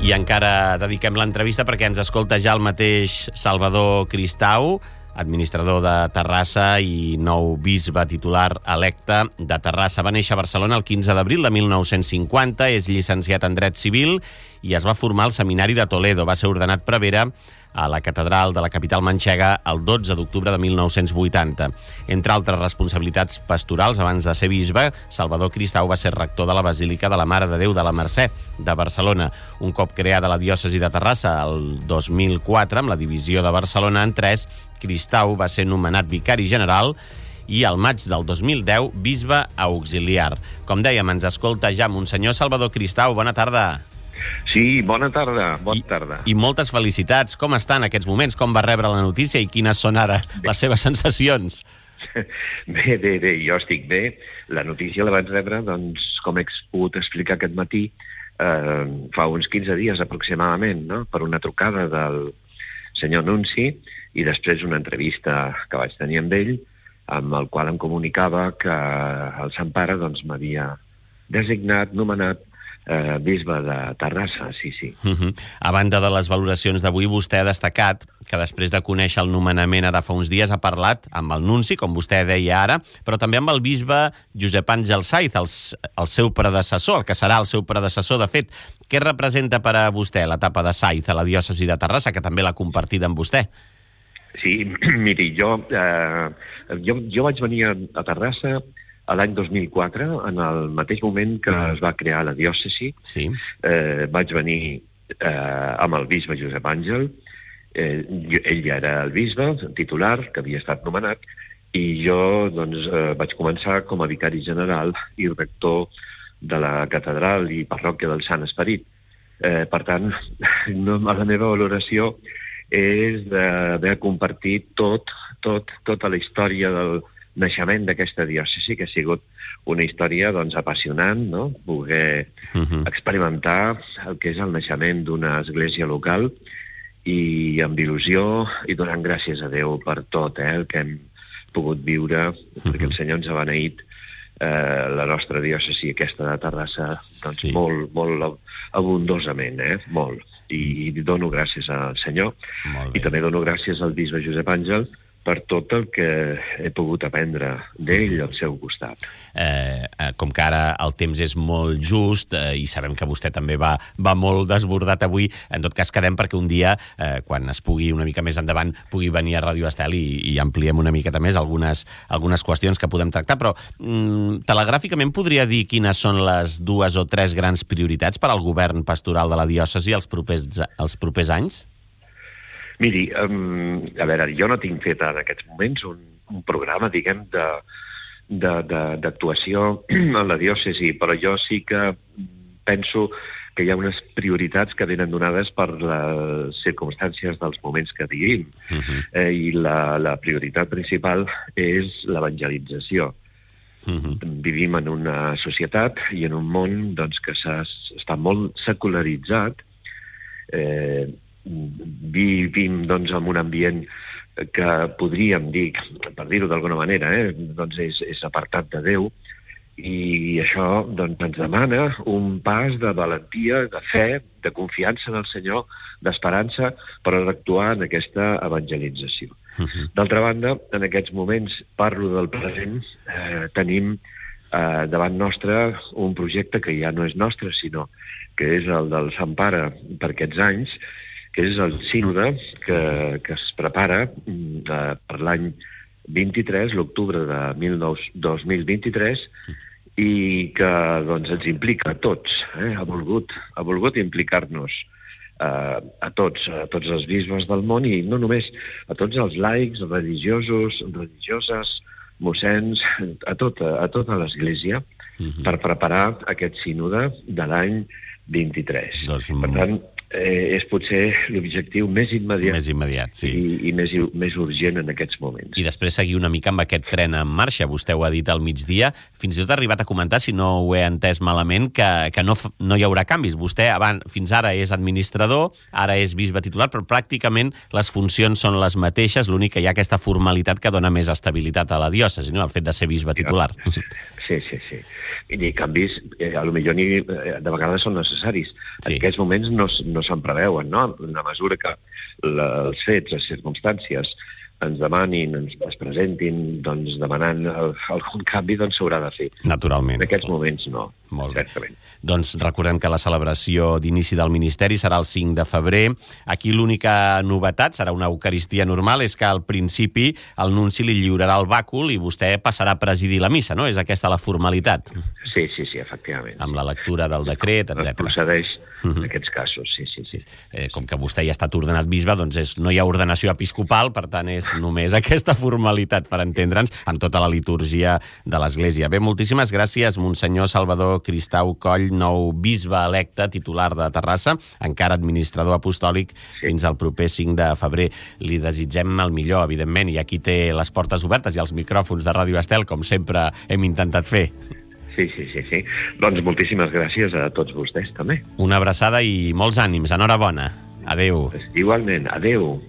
I encara dediquem l'entrevista perquè ens escolta ja el mateix Salvador Cristau, administrador de Terrassa i nou bisbe titular electe de Terrassa. Va néixer a Barcelona el 15 d'abril de 1950, és llicenciat en Dret Civil i es va formar al Seminari de Toledo. Va ser ordenat prevere a la catedral de la capital manxega el 12 d'octubre de 1980. Entre altres responsabilitats pastorals, abans de ser bisbe, Salvador Cristau va ser rector de la Basílica de la Mare de Déu de la Mercè de Barcelona. Un cop creada la diòcesi de Terrassa el 2004, amb la divisió de Barcelona en 3, Cristau va ser nomenat vicari general i al maig del 2010 bisbe auxiliar. Com dèiem, ens escolta ja Monsenyor Salvador Cristau. Bona tarda. Sí, bona tarda, bona tarda. I moltes felicitats. Com està en aquests moments? Com va rebre la notícia i quines són ara les seves sensacions? Bé, jo estic bé. La notícia la vaig rebre, doncs, com he pogut explicar aquest matí, fa uns 15 dies aproximadament, no? Per una trucada del senyor Nunci i després una entrevista que vaig tenir amb ell, amb el qual em comunicava que el Sant Pare doncs, m'havia designat, nomenat, bisbe de Terrassa, sí. A banda de les valoracions d'avui, vostè ha destacat que després de conèixer el nomenament ara fa uns dies ha parlat amb el nunci, com vostè deia ara, però també amb el bisbe Josep Àngel Saiz, el seu predecessor, el que serà el seu predecessor. De fet, què representa per a vostè l'etapa de Saiz a la diòcesi de Terrassa, que també l'ha compartida amb vostè? Sí, miri, jo vaig venir a Terrassa a l'any 2004, en el mateix moment que es va crear la diòcesi. Sí. Vaig venir amb el bisbe Josep Àngel. Ell ja era el bisbe titular, que havia estat nomenat, i jo doncs, vaig començar com a vicari general i rector de la catedral i parròquia del Sant Esperit. Per tant, la meva valoració és d'haver compartit tota la història del naixement d'aquesta diòcesi, que ha sigut una història doncs, apassionant, no? Poder experimentar el que és el naixement d'una església local i amb il·lusió i donant gràcies a Déu per tot el que hem pogut viure, perquè el Senyor ens ha beneït la nostra diòcesi, aquesta de Terrassa, doncs, sí. molt abundosament, molt. I dono gràcies al Senyor i també dono gràcies al bisbe Josep Àngel per tot el que he pogut aprendre d'ell al seu costat. Com que ara el temps és molt just i sabem que vostè també va molt desbordat avui, en tot cas quedem perquè un dia, quan es pugui una mica més endavant, pugui venir a Ràdio Estel i ampliem una miqueta més algunes qüestions que podem tractar, però telegràficament podria dir quines són les 2 o 3 grans prioritats per al govern pastoral de la diòcesi els propers anys? Miri, a veure, jo no tinc fet en aquests moments un programa, diguem, d'actuació en la diòcesi, però jo sí que penso que hi ha unes prioritats que venen donades per les circumstàncies dels moments que vivim. I la prioritat principal és l'evangelització. Vivim en una societat i en un món doncs, que està molt secularitzat. Vivim doncs, en un ambient que podríem dir, per dir-ho d'alguna manera, doncs és apartat de Déu, i això doncs, ens demana un pas de valentia, de fe, de confiança en el Senyor, d'esperança per actuar en aquesta evangelització. D'altra banda, en aquests moments, parlo del present, tenim davant nostre un projecte que ja no és nostre, sinó que és el del Sant Pare per aquests anys, que és el sínode que es prepara per l'any 23, l'octubre de 2023, i que doncs, ens implica a tots. Ha volgut implicar-nos a tots els bisbes del món, i no només a tots els laics, religiosos, religioses, mossens, a tota l'Església, per preparar aquest sínode de l'any 23. Per tant, és potser l'objectiu més immediat, sí. i més urgent en aquests moments. I després seguir una mica amb aquest tren en marxa. Vostè ho ha dit al migdia. Fins i tot ha arribat a comentar, si no ho he entès malament, que no hi haurà canvis. Vostè fins ara és administrador, ara és bisbe titular, però pràcticament les funcions són les mateixes. L'únic que hi ha aquesta formalitat que dona més estabilitat a la diòcesi, no? El fet de ser bisbe titular. Sí. i canvis, potser de vegades són necessaris. Sí. En aquests moments no se'n preveuen, no? En la mesura que els fets, les circumstàncies ens demanin, es presentin, doncs, demanant algun canvi, doncs s'haurà de fer. Naturalment. En aquests moments no. Molt bé. Certament. Doncs recordem que la celebració d'inici del Ministeri serà el 5 de febrer. Aquí l'única novetat, serà una eucaristia normal, és que al principi el nunci li lliurarà el bàcul i vostè passarà a presidir la missa, no? És aquesta la formalitat? Sí, efectivament. Amb la lectura del decret, etc. Procedeix en aquests casos, sí. Com que vostè ja ha estat ordenat bisbe, doncs no hi ha ordenació episcopal, per tant és només aquesta formalitat, per entendre'ns, amb tota la litúrgia de l'Església. Bé, moltíssimes gràcies, Monsenyor Salvador Cristau Coll, nou bisbe electe, titular de Terrassa, encara administrador apostòlic fins al proper 5 de febrer. Li desitgem el millor, evidentment, i aquí té les portes obertes i els micròfons de Ràdio Estel, com sempre hem intentat fer. Sí. Doncs moltíssimes gràcies a tots vostès, també. Una abraçada i molts ànims. Enhorabona. Adéu. Igualment, adéu.